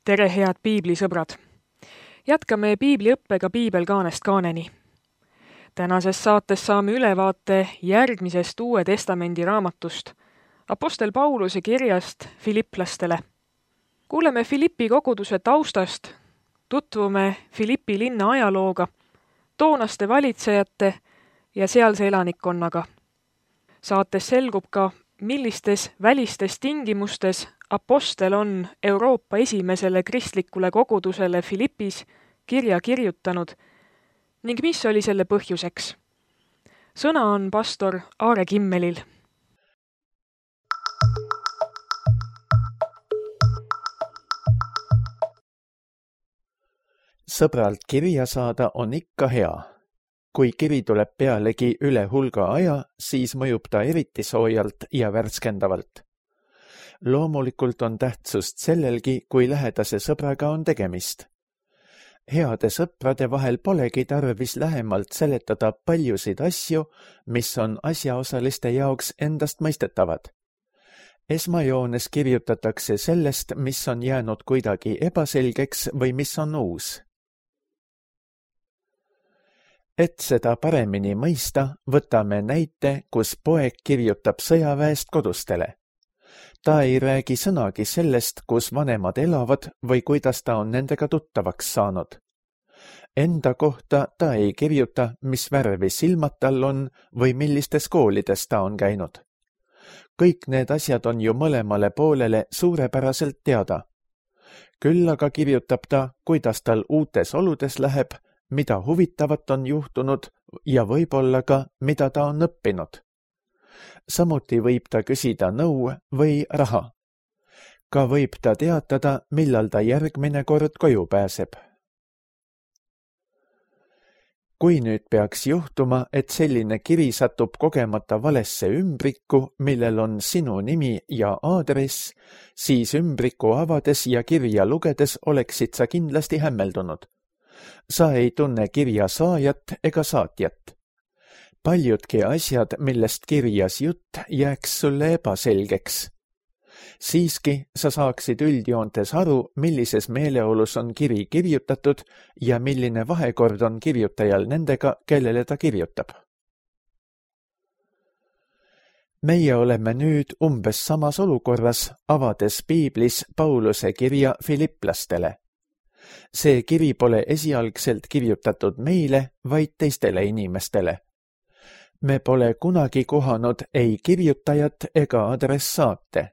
Tere, head piiblisõbrad! Jätkame piibliõppega piibelkaanest kaaneni. Tänases saates saame ülevaate järgmisest Uue Testamendi raamatust, Apostel Pauluse kirjast Filipplastele. Kuuleme Filippi koguduse taustast, tutvume Filippi linna ajalooga, toonaste valitsejate ja sealse elanikkonnaga. Saates selgub ka, millistes välistes tingimustes apostel on Euroopa esimesele kristlikule kogudusele Filippis kirja kirjutanud ning mis oli selle põhjuseks. Sõna on pastor Aare Kimmelil. Sõbralt kirja saada on ikka hea. Kui kiri tuleb pealegi üle hulga aja, siis mõjub ta eriti soojalt ja värskendavalt. Loomulikult on tähtsust sellelgi, kui lähedase sõbraga on tegemist. Heade sõprade vahel polegi tarvis lähemalt seletada paljusid asju, mis on asjaosaliste jaoks endast mõistetavad. Esmajoones kirjutatakse sellest, mis on jäänud kuidagi ebaselgeks või mis on uus. Et seda paremini mõista, võtame näite, kus poeg kirjutab sõjaväest kodustele. Ta ei räägi sõnagi sellest, kus vanemad elavad või kuidas ta on nendega tuttavaks saanud. Enda kohta ta ei kirjuta, mis värvi silmad tal on või millistes koolides ta on käinud. Kõik need asjad on ju mõlemale poolele suurepäraselt teada. Küll aga kirjutab ta, kuidas tal uutes oludes läheb, mida huvitavat on juhtunud ja võib-olla ka, mida ta on õppinud. Samuti võib ta küsida nõu või raha. Ka võib ta teatada, millal ta järgmine kord koju pääseb. Kui nüüd peaks juhtuma, et selline kiri satub kogemata valesse ümbrikku, millel on sinu nimi ja aadress, siis ümbriku avades ja kirja lugedes oleksid sa kindlasti hämmeldunud. Sa ei tunne kirja saajat ega saatjat. Paljudki asjad, millest kirjas jutt, jääks sulle ebaselgeks. Siiski sa saaksid üldjoontes aru, millises meeleolus on kiri kirjutatud ja milline vahekord on kirjutajal nendega, kellele ta kirjutab. Meie oleme nüüd umbes samas olukorras, avades piiblis Pauluse kirja Filipplastele. See kiri pole esialgselt kirjutatud meile, vaid teistele inimestele. Me pole kunagi kohanud ei kirjutajat ega adressaate.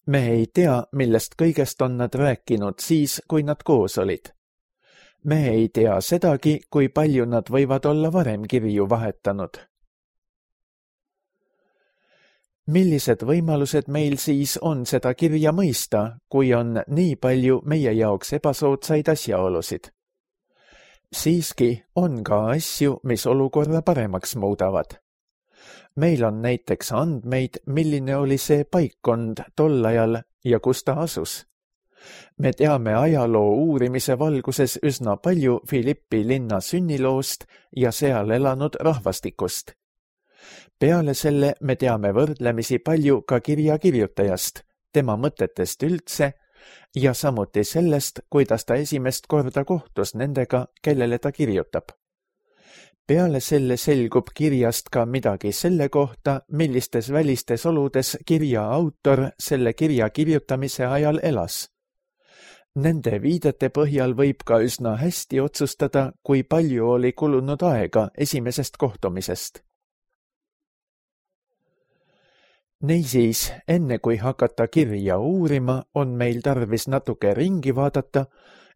Me ei tea, millest kõigest on nad rääkinud siis, kui nad koos olid. Me ei tea sedagi, kui palju nad võivad olla varem kirju vahetanud. Millised võimalused meil siis on seda kirja mõista, kui on nii palju meie jaoks ebasoodsaid asjaolusid? Siiski on ka asju, mis olukorra paremaks muudavad. Meil on näiteks andmeid, milline oli see paikkond tol ajal ja kus ta asus. Me teame ajaloo uurimise valguses üsna palju Filippi linna sünniloost ja seal elanud rahvastikust. Peale selle me teame võrdlemisi palju ka kirja kirjutajast, tema mõtetest üldse ja samuti sellest, kuidas ta esimest korda kohtus nendega, kellele ta kirjutab. Peale selle selgub kirjast ka midagi selle kohta, millistes välistes oludes kirja autor selle kirja kirjutamise ajal elas. Nende viidete põhjal võib ka üsna hästi otsustada, kui palju oli kulunud aega esimesest kohtumisest. Niisiis, enne kui hakata kirja uurima, on meil tarvis natuke ringi vaadata,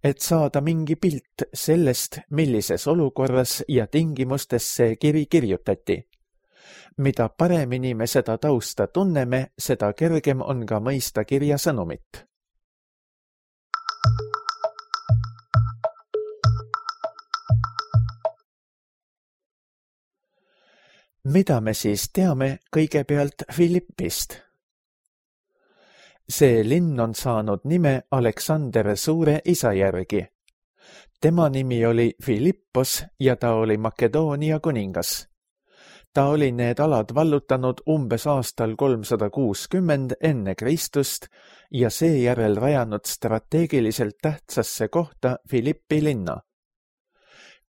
et saada mingi pilt sellest, millises olukorras ja tingimustes see kiri kirjutati. Mida paremini me seda tausta tunneme, seda kergem on ka mõista kirja sõnumit. Mida me siis teame kõigepealt Filippist? See linn on saanud nime Aleksander Suure isa järgi. Tema nimi oli Filippos ja ta oli Makedoonia kuningas. Ta oli need alad vallutanud umbes aastal 360 enne Kristust ja seejärel rajanud strateegiliselt tähtsasse kohta Philippi linna.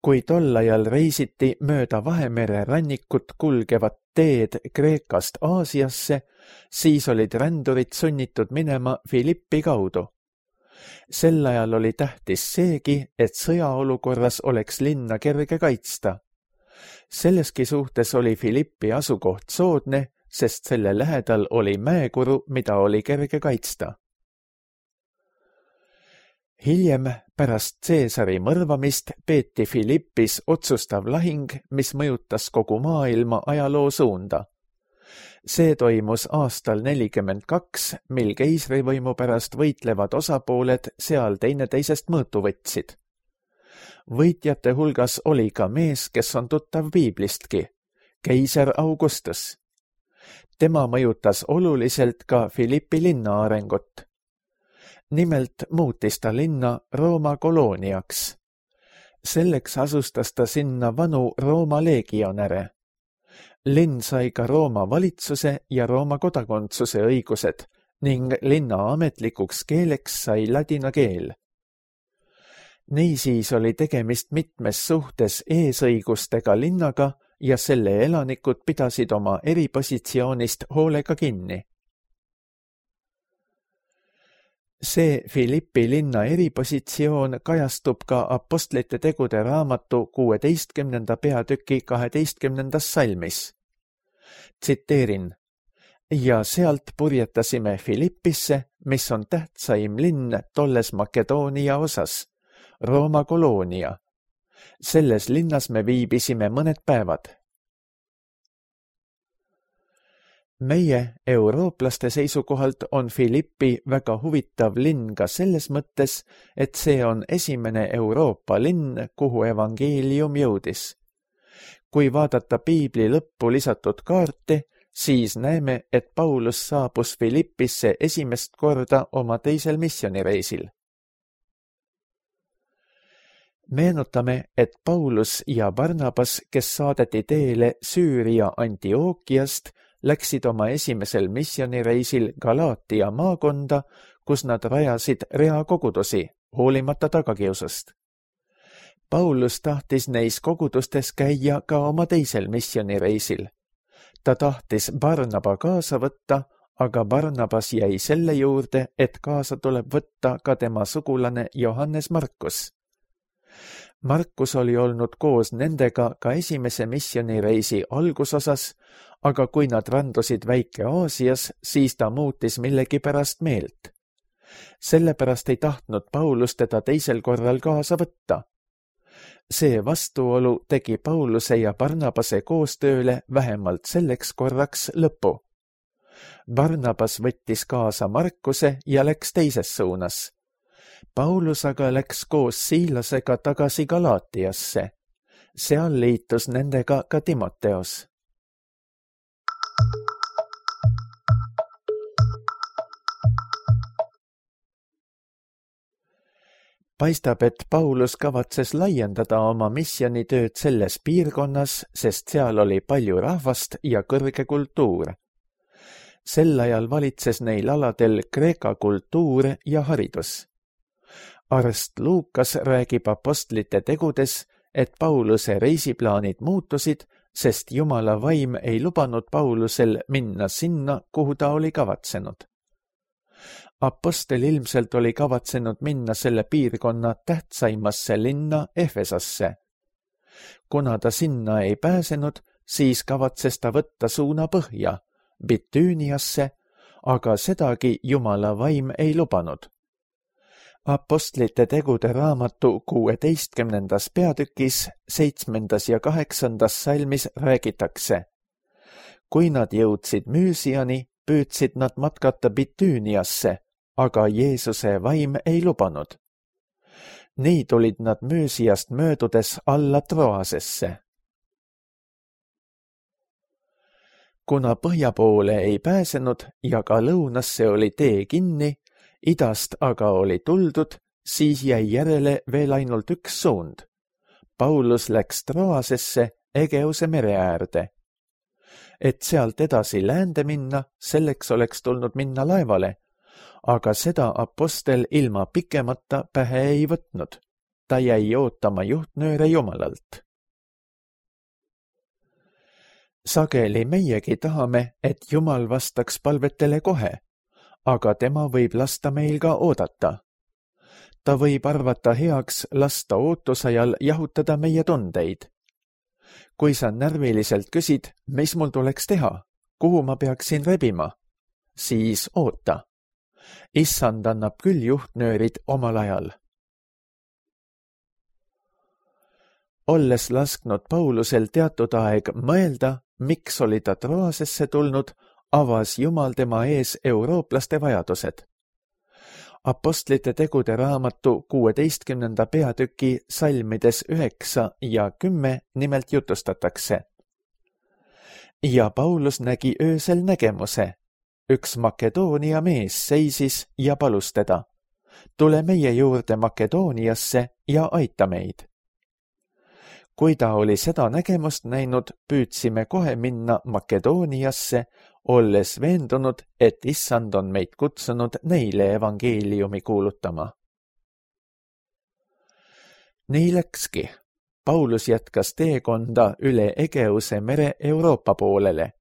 Kui tol ajal reisiti mööda Vahemere rannikut kulgevat teed Kreekast Aasiasse, siis olid rändurid sunnitud minema Philippi kaudu. Sel ajal oli tähtis seegi, et sõjaolukorras oleks linna kerge kaitsta. Selleski suhtes oli Philippi asukoht soodne, sest selle lähedal oli mäekuru, mida oli kerge kaitsta. Hiljem, pärast Caesari mõrvamist, peeti Philippis otsustav lahing, mis mõjutas kogu maailma ajaloo suunda. See toimus aastal 42, mil keisrivõimu pärast võitlevad osapooled seal teineteisest mõõtu võtsid. Võitjate hulgas oli ka mees, kes on tuttav piiblistki, keiser Augustus. Tema mõjutas oluliselt ka Philippi linna arengut. Nimelt muutis ta linna Rooma kolooniaks. Selleks asustas ta sinna vanu Rooma legionäre. Linn sai ka Rooma valitsuse ja Rooma kodakondsuse õigused ning linna ametlikuks keeleks sai ladina keel. Niisiis oli tegemist mitmes suhtes eesõigustega linnaga ja selle elanikud pidasid oma eripositsioonist hoolega kinni. See Philippi linna eripositsioon kajastub ka Apostlite tegude raamatu 16. peatüki 12. salmis. Tsiteerin: ja sealt purjetasime Philippisse, mis on tähtsaim linn tolles Makedoonia osas, Rooma koloonia. Selles linnas me viibisime mõned päevad. Meie, eurooplaste seisukohalt, on Philippi väga huvitav linn ka selles mõttes, et see on esimene Euroopa linn, kuhu evangeelium jõudis. Kui vaadata piibli lõppu lisatud kaarti, siis näeme, et Paulus saabus Philippisse esimest korda oma teisel missioonireisil. Meenutame, et Paulus ja Barnabas, kes saadeti teele Süüria Antiookiast, läksid oma esimesel missioonireisil Galaatia maakonda, kus nad rajasid rea kogudusi, hoolimata tagakiusust. Paulus tahtis neis kogudustes käia ka oma teisel missioonireisil. Ta tahtis Barnaba kaasa võtta, aga Barnabas jäi selle juurde, et kaasa tuleb võtta ka tema sugulane Johannes Markus. Markus oli olnud koos nendega ka esimese missioonireisi algusosas, aga kui nad randusid Väike-Aasias, siis ta muutis millegipärast meelt. Sellepärast ei tahtnud Paulus teda teisel korral kaasa võtta. See vastuolu tegi Pauluse ja Barnabase koostööle vähemalt selleks korraks lõpu. Barnabas võttis kaasa Markuse ja läks teises suunas. Paulus aga läks koos Siilasega tagasi Galaatiasse. Seal liitus nendega ka Timoteos. Paistab, et Paulus kavatses laiendada oma missionitööd selles piirkonnas, sest seal oli palju rahvast ja kõrge kultuur. Sel ajal valitses neil aladel Kreeka kultuur ja haridus. Arst Luukas räägib Apostlite tegudes, et Pauluse reisiplaanid muutusid, sest Jumala vaim ei lubanud Paulusel minna sinna, kuhu ta oli kavatsenud. Apostel ilmselt oli kavatsenud minna selle piirkonna tähtsaimasse linna Efesasse. Kuna ta sinna ei pääsenud, siis kavatses ta võtta suuna põhja, Bitüüniasse, aga sedagi Jumala vaim ei lubanud. Apostlite tegude raamatu 16. peatükis 7. ja 8. salmis räägitakse: kui nad jõudsid Müüsiani, püüdsid nad matkata Bitüüniasse, aga Jeesuse vaim ei lubanud. Nii tulid nad Müüsiast möödudes alla Troasesse. Kuna põhja poole ei pääsenud ja ka lõunasse oli tee kinni, idast aga oli tuldud, siis jäi järele veel ainult üks suund. Paulus läks Troasesse, Egeuse mere äärde. et sealt edasi läände minna, selleks oleks tulnud minna laevale, aga seda apostel ilma pikemata pähe ei võtnud. Ta jäi ootama juhtnööre Jumalalt. Sageli meiegi tahame, et Jumal vastaks palvetele kohe, aga tema võib lasta meil ka oodata. Ta võib arvata heaks lasta ootusajal jahutada meie tundeid. Kui sa närviliselt küsid, mis mul tuleks teha, kuhu ma peaksin rebima, siis oota. Issand annab küll juhtnöörid omal ajal. Olles lasknud Paulusel teatud aeg mõelda, miks oli ta Troasesse tulnud, avas Jumal tema ees eurooplaste vajadused. Apostlite tegude raamatu 16. peatüki salmides 9 ja 10 nimelt jutustatakse. Ja Paulus nägi öösel nägemuse. Üks Makedoonia mees seisis ja palus teda. Tule meie juurde Makedooniasse ja aita meid. Kui ta oli seda nägemust näinud, püüdsime kohe minna Makedooniasse, olles veendunud, et Issand on meid kutsunud neile evangeeliumi kuulutama. Nii läkski. Paulus jätkas teekonda üle Egeuse mere Euroopa poolele.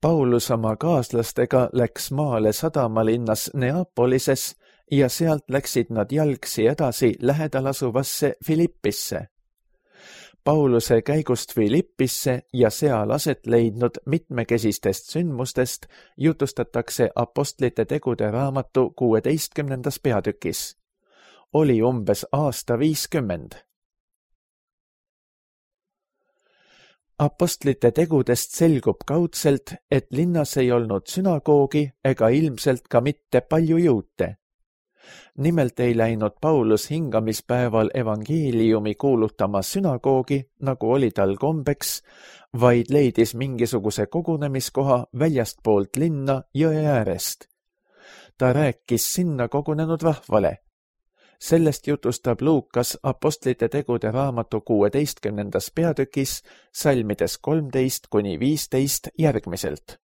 Paulus oma kaaslastega läks maale sadamalinnas Neapolises ja sealt läksid nad jalgsi edasi lähedal asuvasse Filippisse. Pauluse käigust Filippisse ja seal aset leidnud mitmekesistest sündmustest jutustatakse apostlite tegude raamatu 16. peatükis. Oli umbes aasta 50. Apostlite tegudest selgub kaudselt, et linnas ei olnud sünagoogi ega ilmselt ka mitte palju juute. Nimelt ei läinud Paulus hingamispäeval evangeeliumi kuulutama sünagoogi, nagu oli tal kombeks, vaid leidis mingisuguse kogunemiskoha väljastpoolt linna jõe äärest. Ta rääkis sinna kogunenud rahvale. Sellest jutustab Luukas apostlite tegude raamatu 16. peatükis salmides 13-15 järgmiselt.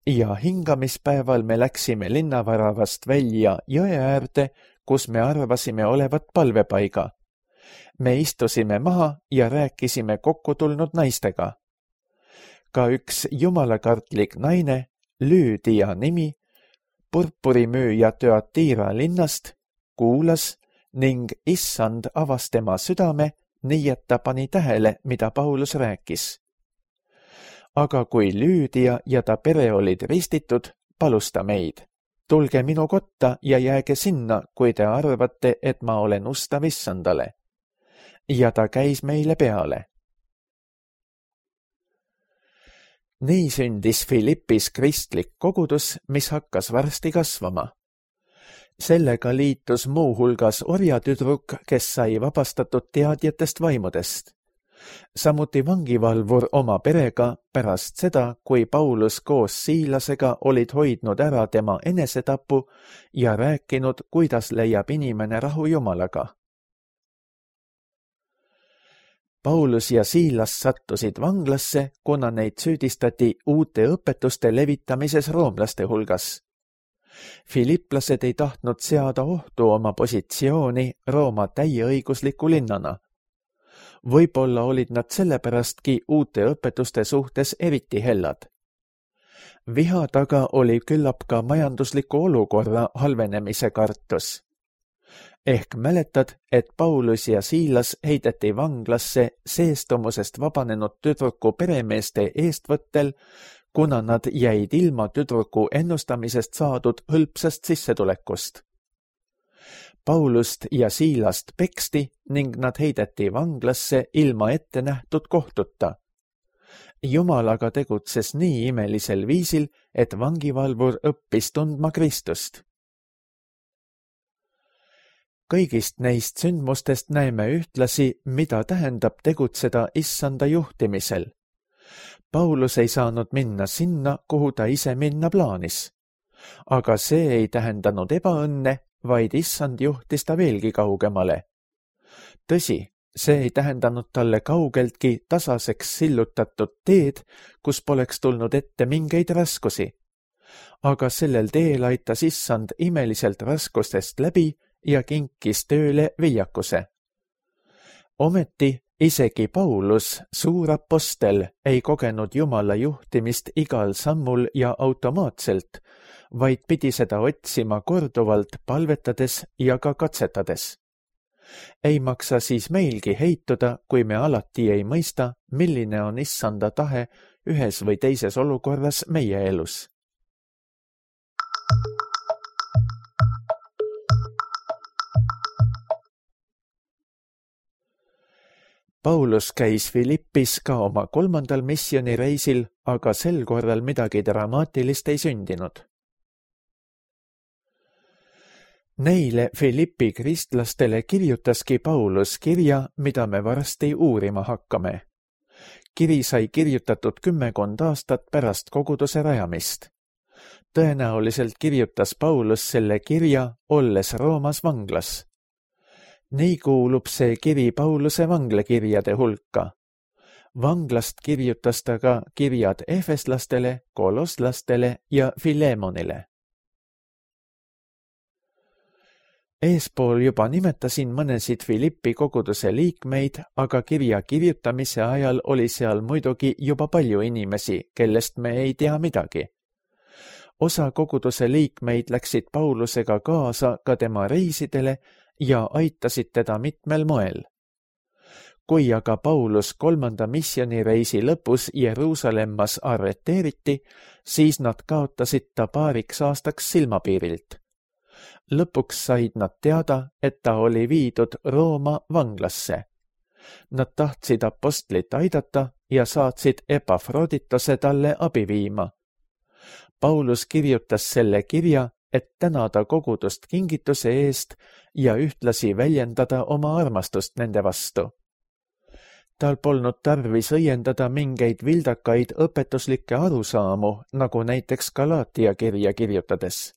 Ja hingamispäeval me läksime linnaväravast välja jõe äärde, kus me arvasime olevat palvepaiga. Me istusime maha ja rääkisime kokku tulnud naistega. Ka üks jumalakartlik naine, Lüüdia nimi, purpurimüüja Thyatira linnast, kuulas ning Issand avas tema südame, nii et ta pani tähele, mida Paulus rääkis. Aga kui Lüüdia ja ta pere olid ristitud, palus ta meid. Tulge minu kotta ja jääge sinna, kui te arvate, et ma olen ustav Issandale. Ja ta käis meile peale. Nii sündis Filippis kristlik kogudus, mis hakkas varsti kasvama. Sellega liitus muu hulgas orjatüdruk, kes sai vabastatud teadjatest vaimudest. Samuti vangivalvur oma perega pärast seda, kui Paulus koos Siilasega olid hoidnud ära tema enesetapu ja rääkinud, kuidas leiab inimene rahu Jumalaga. Paulus ja Siilas sattusid vanglasse, kuna neid süüdistati uute õpetuste levitamises roomlaste hulgas. Filipplased ei tahtnud seada ohtu oma positsiooni Rooma täieõigusliku linnana. Võib-olla olid nad sellepärastki uute õpetuste suhtes eriti hellad. Viha taga oli küllap ka majandusliku olukorra halvenemise kartus. Ehk mäletad, et Paulus ja Siilas heideti vanglasse seestumusest vabanenud tüdruku peremeeste eestvõttel, kuna nad jäid ilma tüdruku ennustamisest saadud hõlpsast sissetulekust. Paulust ja Siilast peksti ning nad heideti vanglasse ilma ette nähtud kohtuta. Jumal aga tegutses nii imelisel viisil, et vangivalvur õppis tundma Kristust. Kõigist neist sündmustest näeme ühtlasi, mida tähendab tegutseda Issanda juhtimisel. Paulus ei saanud minna sinna, kuhu ta ise minna plaanis. Aga see ei tähendanud ebaõnne, vaid Issand juhtis ta veelgi kaugemale. Tõsi, See ei tähendanud talle kaugeltki tasaseks sillutatud teed, kus poleks tulnud ette mingeid raskusi. Aga sellel teel aitas Issand imeliselt raskustest läbi ja kinkis tööle viljakuse. Ometi isegi Paulus, suur apostel, ei kogenud Jumala juhtimist igal sammul ja automaatselt, vaid pidi seda otsima korduvalt palvetades ja ka katsetades. Ei maksa siis meilgi heituda, kui me alati ei mõista, milline on Issanda tahe ühes või teises olukorras meie elus. Paulus käis Philippis ka oma 3. missioonireisil, aga sel korral midagi dramaatilist ei sündinud. Neile Philippi kristlastele kirjutaski Paulus kirja, mida me varsti uurima hakkame. Kiri sai kirjutatud 10 aastat pärast koguduse rajamist. Tõenäoliselt kirjutas Paulus selle kirja, olles Roomas vanglas. Nii kuulub see kiri Pauluse vanglakirjade hulka. Vanglast kirjutas ta ka kirjad efeslastele, kolosslastele ja Filemonile. Eespool juba nimetasin mõnesid Philippi koguduse liikmeid, aga kirja kirjutamise ajal oli seal muidugi juba palju inimesi, kellest me ei tea midagi. Osa koguduse liikmeid läksid Paulusega kaasa ka tema reisidele ja aitasid teda mitmel moel. Kui aga Paulus 3. missioonireisi lõpus Jeruusalemmas arreteeriti, siis nad kaotasid ta paariks aastaks silmapiirilt. Lõpuks said nad teada, et ta oli viidud Rooma vanglasse. Nad tahtsid apostlit aidata ja saatsid Epafroditose talle abi viima. Paulus kirjutas selle kirja, et tänada kogudust kingituse eest ja ühtlasi väljendada oma armastust nende vastu. Tal polnud tarvis õiendada mingeid vildakaid õpetuslikke arusaamu, nagu näiteks Galaatia kirja kirjutades.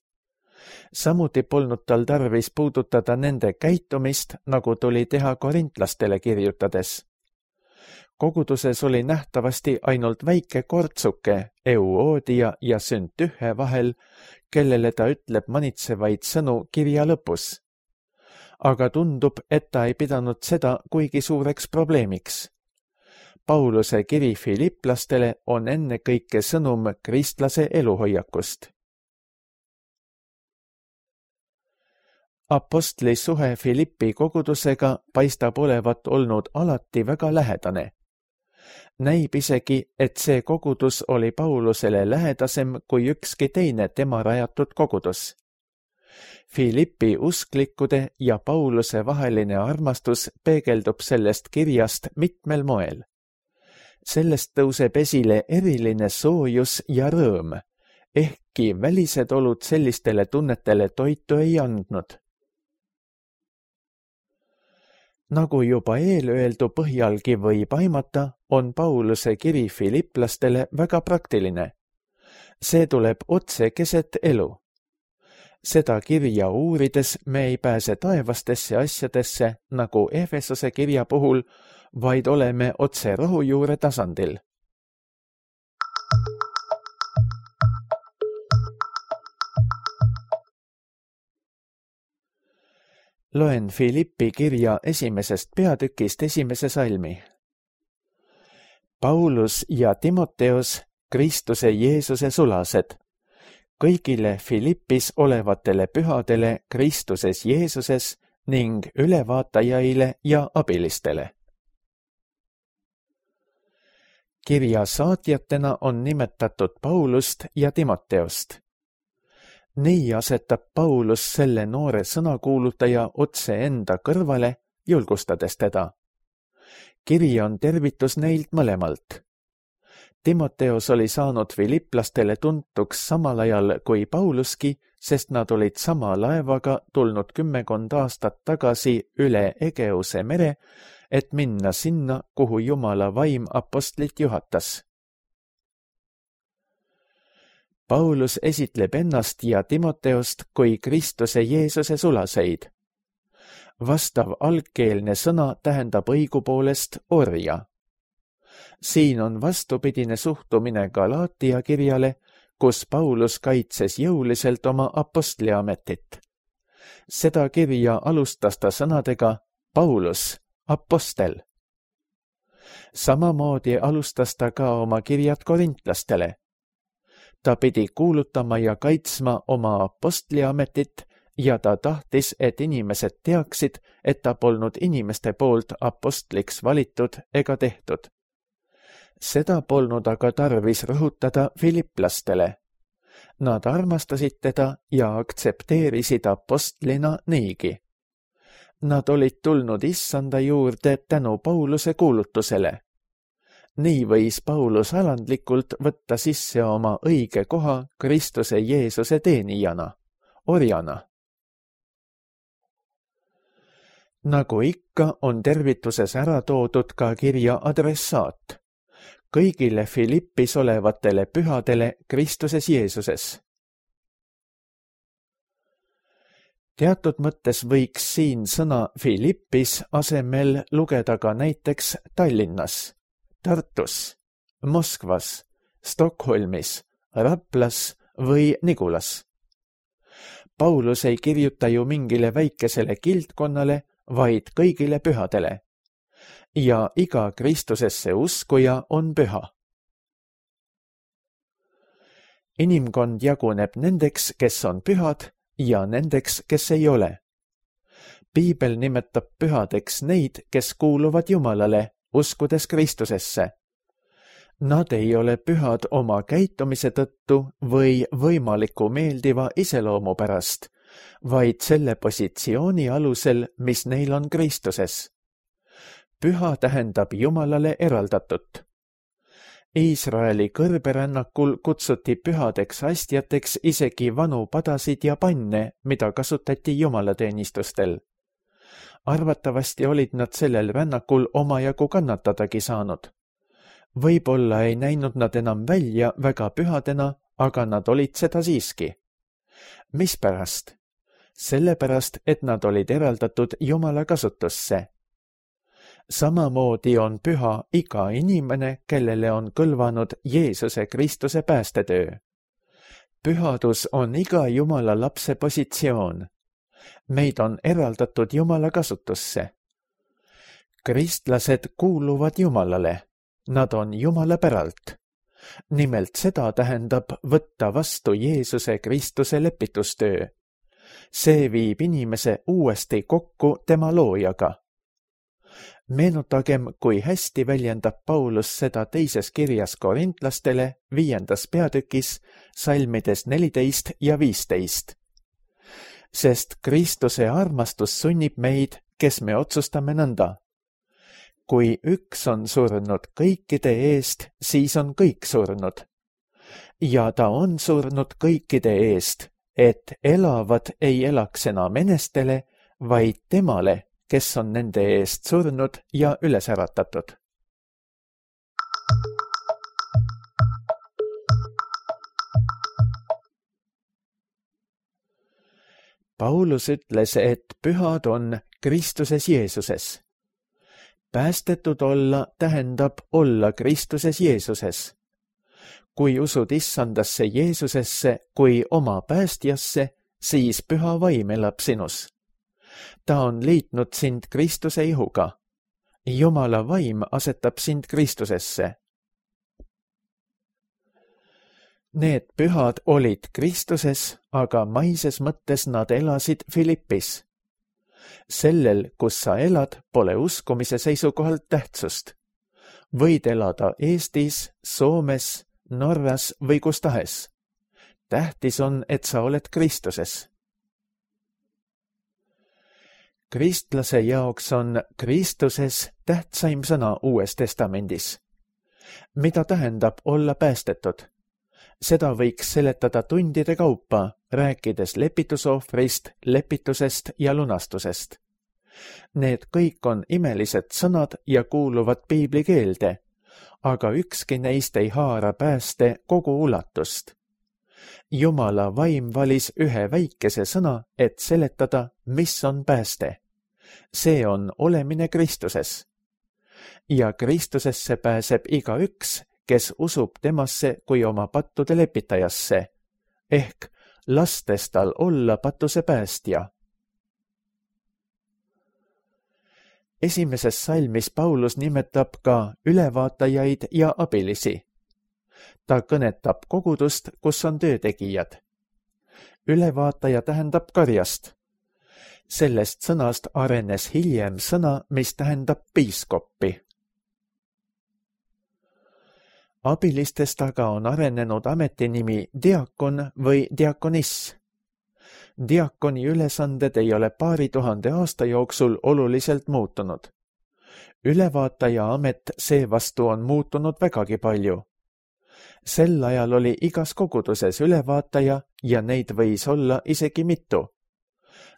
Samuti polnud tal tarvis puudutada nende käitumist, nagu tuli teha korintlastele kirjutades. Koguduses oli nähtavasti ainult väike kortsuke Euoodia ja Süntühe vahel, kellele ta ütleb manitsevaid sõnu kirja lõpus. Aga tundub, et ta ei pidanud seda kuigi suureks probleemiks. Pauluse kiri filipplastele on ennekõike sõnum kristlase eluhoiakust. Apostli suhe Philippi kogudusega paistab olevat olnud alati väga lähedane. Näib isegi, et see kogudus oli Paulusele lähedasem kui ükski teine tema rajatud kogudus. Philippi usklikkude ja Pauluse vaheline armastus peegeldub sellest kirjast mitmel moel. Sellest tõuseb esile eriline soojus ja rõõm, ehkki välised olud sellistele tunnetele toitu ei andnud. Nagu juba eelöeldu põhjalgi võib aimata, on Pauluse kiri filipplastele väga praktiline. See tuleb otse keset elu. Seda kirja uurides me ei pääse taevastesse asjadesse, nagu Efesose kirja puhul, vaid oleme otse rohujuure tasandil. Loen Philippi kirja 1. peatükist 1. salmi. Paulus ja Timoteos, Kristuse Jeesuse sulased, kõigile Philippis olevatele pühadele Kristuses Jeesuses ning ülevaatajaile ja abilistele. Kirja saatjatena on nimetatud Paulust ja Timoteost. Nii asetab Paulus selle noore sõnakuulutaja otse enda kõrvale, julgustades teda. Kiri on tervitus neilt mõlemalt. Timoteos oli saanud filipplastele tuntuks samal ajal kui Pauluski, sest nad olid sama laevaga tulnud 10 aastat tagasi üle Egeuse mere, et minna sinna, kuhu Jumala vaim apostlit juhatas. Paulus esitleb ennast ja Timoteost kui Kristuse Jeesuse sulaseid. Vastav algkeelne sõna tähendab õigupoolest orja. Siin on vastupidine suhtumine Galaatia kirjale, kus Paulus kaitses jõuliselt oma apostliametit. Seda kirja alustas ta sõnadega Paulus, apostel. Samamoodi alustas ta ka oma kirjad korintlastele. Ta pidi kuulutama ja kaitsma oma apostliametit ja ta tahtis, et inimesed teaksid, et ta polnud inimeste poolt apostliks valitud ega tehtud. Seda polnud aga tarvis rõhutada filiplastele. Nad armastasid teda ja aktsepteerisid apostlina niigi. Nad olid tulnud issanda juurde tänu Pauluse kuulutusele. Nii võis Paulus alandlikult võtta sisse oma õige koha Kristuse Jeesuse teenijana, orjana. Nagu ikka on tervituses ära toodud ka kirja adressaat. Kõigile Filippis olevatele pühadele Kristuses Jeesuses. Teatud mõttes võiks siin sõna Filippis asemel lugeda ka näiteks Tallinnas, Tartus, Moskvas, Stockholmis, Raplas või Nigulas. Paulus ei kirjuta ju mingile väikesele kildkonnale, vaid kõigile pühadele. Ja iga Kristusesse uskuja on püha. Inimkond jaguneb nendeks, kes on pühad, ja nendeks, kes ei ole. Piibel nimetab pühadeks neid, kes kuuluvad Jumalale, uskudes Kristusesse. Nad ei ole pühad oma käitumise tõttu või võimaliku meeldiva iseloomu pärast, vaid selle positsiooni alusel, mis neil on Kristuses. Püha tähendab Jumalale eraldatut. Iisraeli kõrberännakul kutsuti pühadeks astjateks isegi vanu padasid ja panne, mida kasutati jumalateenistustel. Arvatavasti olid nad sellel rännakul omajagu kannatadagi saanud. Võib-olla ei näinud nad enam välja väga pühadena, aga nad olid seda siiski. Mispärast? Sellepärast, et nad olid eraldatud Jumala kasutusse. Samamoodi on püha iga inimene, kellele on kõlvanud Jeesuse Kristuse päästetöö. Pühadus on iga Jumala lapse positsioon. Meid on eraldatud Jumala kasutusse. Kristlased kuuluvad Jumalale. Nad on Jumala päralt. Nimelt seda tähendab võtta vastu Jeesuse Kristuse lepitustöö. See viib inimese uuesti kokku tema loojaga. Meenutagem, kui hästi väljendab Paulus seda teises kirjas korintlastele 5. peatükis, salmides 14 ja 15. Sest Kristuse armastus sunnib meid, kes me otsustame nõnda. Kui üks on surnud kõikide eest, siis on kõik surnud. Ja ta on surnud kõikide eest, et elavad ei elaks enam enestele, vaid temale, kes on nende eest surnud ja üles äratatud. Paulus ütles, et pühad on Kristuses Jeesuses. Päästetud olla tähendab olla Kristuses Jeesuses. Kui usud issandasse Jeesusesse kui oma päästjasse, siis püha vaim elab sinus. Ta on liitnud sind Kristuse ihuga. Jumala vaim asetab sind Kristusesse. Need pühad olid Kristuses, aga maises mõttes nad elasid Filippis. Sellel, kus sa elad, pole uskumise seisukohalt tähtsust. Võid elada Eestis, Soomes, Norras või kus tahes. Tähtis on, et sa oled Kristuses. Kristlase jaoks on Kristuses tähtsaim sõna Uues Testamendis. Mida tähendab olla päästetud? Seda võiks seletada tundide kaupa, rääkides lepitusohvrist, lepitusest ja lunastusest. Need kõik on imelised sõnad ja kuuluvad piibli keelde, aga ükski neist ei haara pääste kogu ulatust. Jumala vaim valis ühe väikese sõna, et seletada, mis on pääste. See on olemine Kristuses. Ja Kristusesse pääseb igaüks, kes usub temasse kui oma pattude lepitajasse, ehk lastes tal olla patuse päästja. Esimeses salmis Paulus nimetab ka ülevaatajaid ja abilisi. Ta kõnetab kogudust, kus on töötegijad. Ülevaataja tähendab karjast. Sellest sõnast arenes hiljem sõna, mis tähendab piiskoppi. Abilistest aga on arenenud ametinimi diakon või diakoniss. Diakoni ülesanded ei ole paari tuhande aasta jooksul oluliselt muutunud. Ülevaataja amet seevastu on muutunud vägagi palju. Sel ajal oli igas koguduses ülevaataja ja neid võis olla isegi mitu.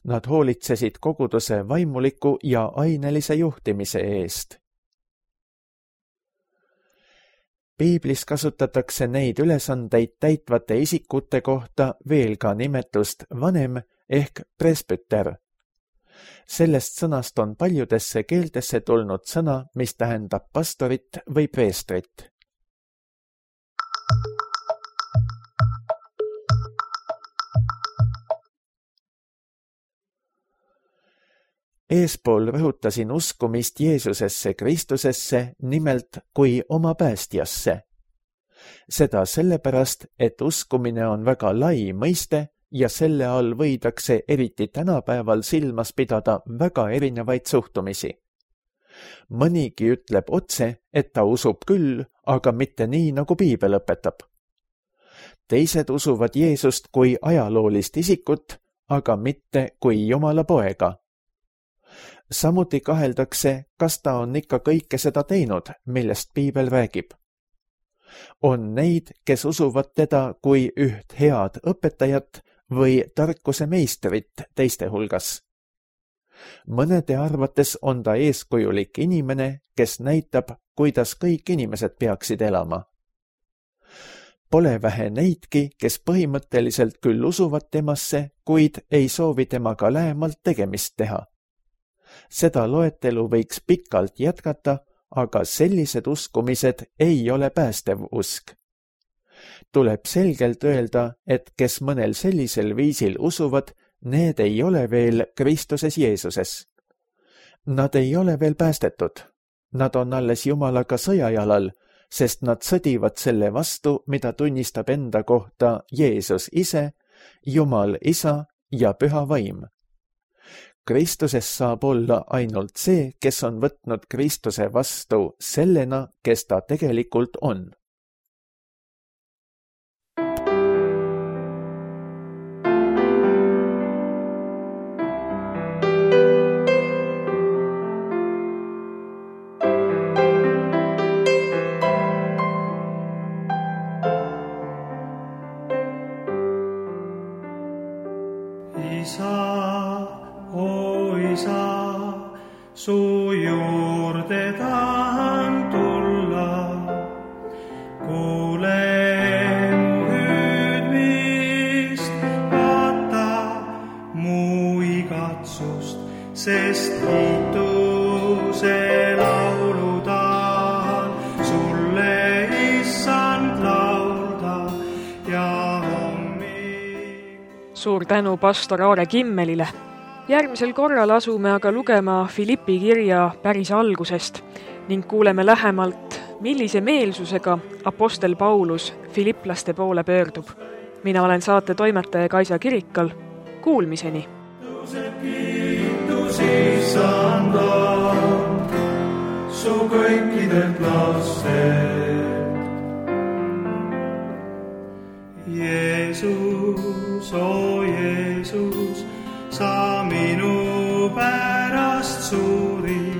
Nad hoolitsesid koguduse vaimuliku ja ainelise juhtimise eest. Piiblis kasutatakse neid ülesandeid täitvate isikute kohta veel ka nimetust vanem ehk presbüter. Sellest sõnast on paljudesse keeltesse tulnud sõna, mis tähendab pastorit või preestrit. Eespool rõhutasin uskumist Jeesusesse Kristusesse nimelt kui oma päästjasse. Seda sellepärast, et uskumine on väga lai mõiste ja selle all võidakse eriti tänapäeval silmas pidada väga erinevaid suhtumisi. Mõnigi ütleb otse, et ta usub küll, aga mitte nii, nagu piibel õpetab. Teised usuvad Jeesust kui ajaloolist isikut, aga mitte kui Jumala poega. Samuti kaheldakse, kas ta on ikka kõike seda teinud, millest piibel räägib. On neid, kes usuvad teda kui üht head õpetajat või tarkuse meistrit teiste hulgas. Mõnede arvates on ta eeskujulik inimene, kes näitab, kuidas kõik inimesed peaksid elama. Pole vähe neidki, kes põhimõtteliselt küll usuvad temasse, kuid ei soovi temaga lähemalt tegemist teha. Seda loetelu võiks pikalt jätkata, aga sellised uskumised ei ole päästev usk. Tuleb selgelt öelda, et kes mõnel sellisel viisil usuvad, need ei ole veel Kristuses Jeesuses. Nad ei ole veel päästetud. Nad on alles Jumalaga sõjajalal, sest nad sõdivad selle vastu, mida tunnistab enda kohta Jeesus ise, Jumal Isa ja Püha Vaim. Kristuses saab olla ainult see, kes on võtnud Kristuse vastu sellena, kes ta tegelikult on. Su juurde tahan tulla, kuule mu hüüdmist, vaata mu igatsust, sest kiituse laulu tahan sulle, issand, laulda ja hommik. Suur tänu pastor Aare Kimmelile. Järgmisel korral asume aga lugema Filippi kirja päris algusest ning kuuleme lähemalt, millise meelsusega apostel Paulus filiplaste poole pöördub. Mina olen saate toimetaja Kaisa Kirikal. Kuulmiseni! Kiitus issanda, su kõikidelt lastelt. Jeesus, Jeesus, sa minu pärast suri,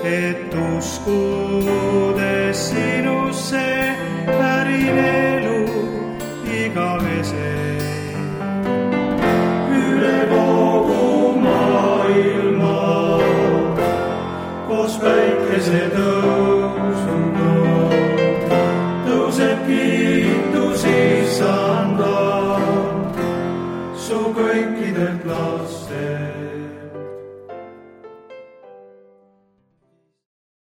et usku